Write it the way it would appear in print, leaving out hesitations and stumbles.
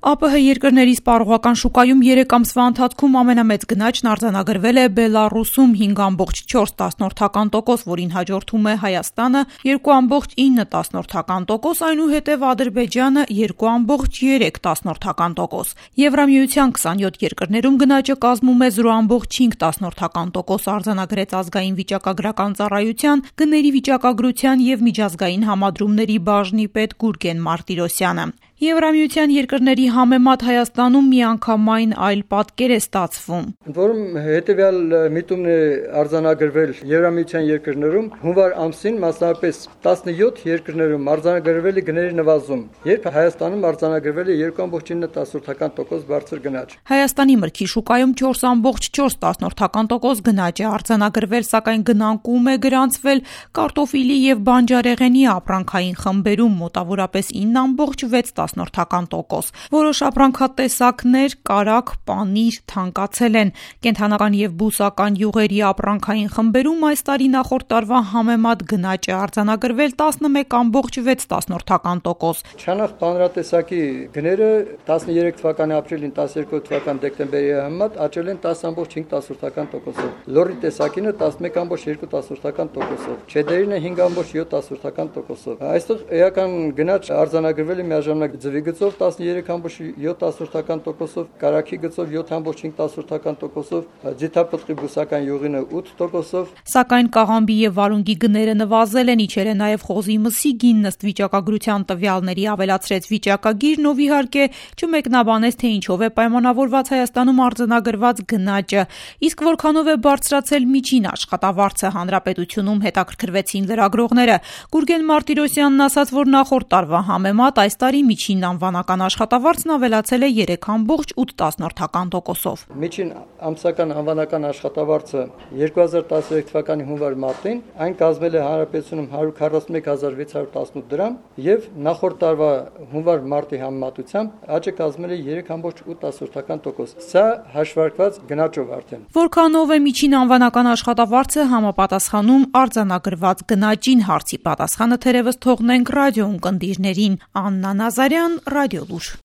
ԱՊՀ երկրների սպառողական շուկայում 3 ամսվա ընթացքում ամենամեծ գնաճն արձանագրվել է Բելառուսում 5,4%, որին հաջորդում է Հայաստանը 2,9%, այնուհետև Ադրբեջանը 2,3%։ Եվրամիության 27 երկրներում գնաճը կազմում է 0,5% արձանագրեց ազգային վիճակագրական ծառայության, գների վիճակագրության և միջազգային համադրումների բաժնի պետ Գուրգեն Մարտիրոսյանը։ Եվրամիության երկրների համեմատ Հայաստանում միանգամայն այլ պատկեր է ստացվում։ Ընդ որում հետևյալ միտումն է արձանագրվել Եվրամիության երկրներում հունվար ամսին մասնավորապես 17 երկրներում արձանագրվել է գների նվազում, երբ Հայաստանում արձանագրվել է 2,9% բարձր գնաճ։ Հայաստանի մրգի շուկայում 4,4% գնաճ է արձանագրվել, սակայն գնանկում է գրանցվել կարտոֆիլի և բանջարեղենի ապրանքային խմբերում մոտավորապես 9,6%։ Որոշ ապրանքատեսակներ, կարագ, պանիր թանկացել են։ Կենդանական և բուսական յուղերի ապրանքային խմբերում այս տարի նախորդ տարվա համեմատ գնաճ է արձանագրվել 11,6%։ Չանախ բանրատեսակի գները 13 թվականի ապրիլին 12 թվականի դեկտեմբերի համեմատ աճել են 10,5%։ Լոռի տեսակինը 11,2%, չեդերինը 5,7%։ Այստեղ էական գնաճ արձանագրվել է միաժամանակ ձվի գծով 13,7%, կարագի գծով 7,5%, ձիթապտղի բուսական յուղինը 8%։ Սակայն կաղամբի և վարունգի գները նվազել են, իջել է նաև խոզի մսի գինն ըստ վիճակագրության տվյալների, ավելացրեց վիճակագիրն ով իհարկե չմեկնաբանեց, թե ինչով է պայմանավորված Հայաստանում արձանագրված գնաճը, իսկ որքանով է բարձրացել միջին աշխատավարձը, հանրապետությունում հետաքրքրվեցին լրագրողները։ Գուրգեն Մարտիրոսյանն ասաց, որ նախորդ տարվա համեմատ այս տարի միջին անվանական աշխատավարձն ավելացել է 3,8%։ Միջին ամսական անվանական աշխատավարձը 2013 թվականի հունվար մարտին այն կազմել է հանրապետությունում 141,618 դրամ եւ նախորդ տարվա հունվար մարտի համեմատությամբ աճը կազմել է 3,8%։ Սա հաշվարկված գնաճով արդեն։ Որքանով է միջին անվանական աշխատավարձը համապատասխանում արձանագրված գնաճին, հարցի պատասխանը թերևս թողնենք ռադիո ունկնդիրներին։ Աննա Նազարյան, Ռադիոլուր։